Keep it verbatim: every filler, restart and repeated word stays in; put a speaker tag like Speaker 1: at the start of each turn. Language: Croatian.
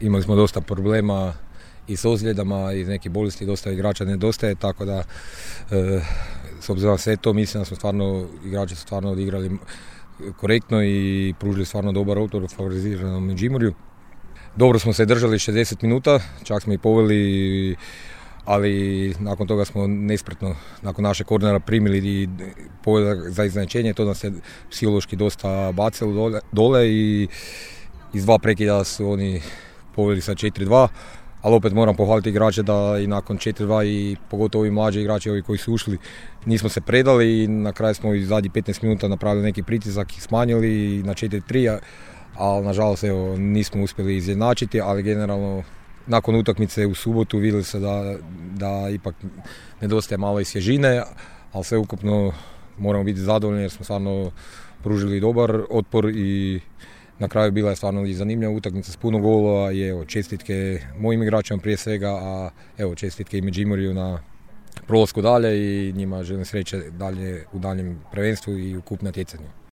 Speaker 1: imali smo dosta problema i s ozljedama i neke bolesti, dosta igrača nedostaje, tako da e, s obzirom na sve to mislim da smo stvarno, igrači su stvarno odigrali korektno i pružili stvarno dobar otpor favoriziranom Međimurju. Dobro smo se držali šezdeset minuta, čak smo i poveli, ali nakon toga smo nespretno, nakon naše kornera primili i poveli za iznenađenje, to nas je psihološki dosta bacilo dole, dole i iz dva prekida su oni poveli sa četiri dva, ali opet moram pohvaliti igrače da i nakon četiri dva i pogotovo i mlađi igrači ovi koji su ušli nismo se predali i na kraju smo i zadnjih petnaest minuta napravili neki pritisak i smanjili na četiri tri, ali nažalost evo, nismo uspjeli izjednačiti, ali generalno nakon utakmice u subotu vidjeli se da, da ipak nedostaje malo i svježine, ali sve ukupno moramo biti zadovoljni jer smo stvarno pružili dobar otpor i na kraju bila je stvarno i zanimljiva utakmica s puno golova i evo, čestitke mojim igračima prije svega, a evo, čestitke i Međimurju na prolasku dalje i njima želim sreće dalje u daljem prvenstvu i u kup natjecanju.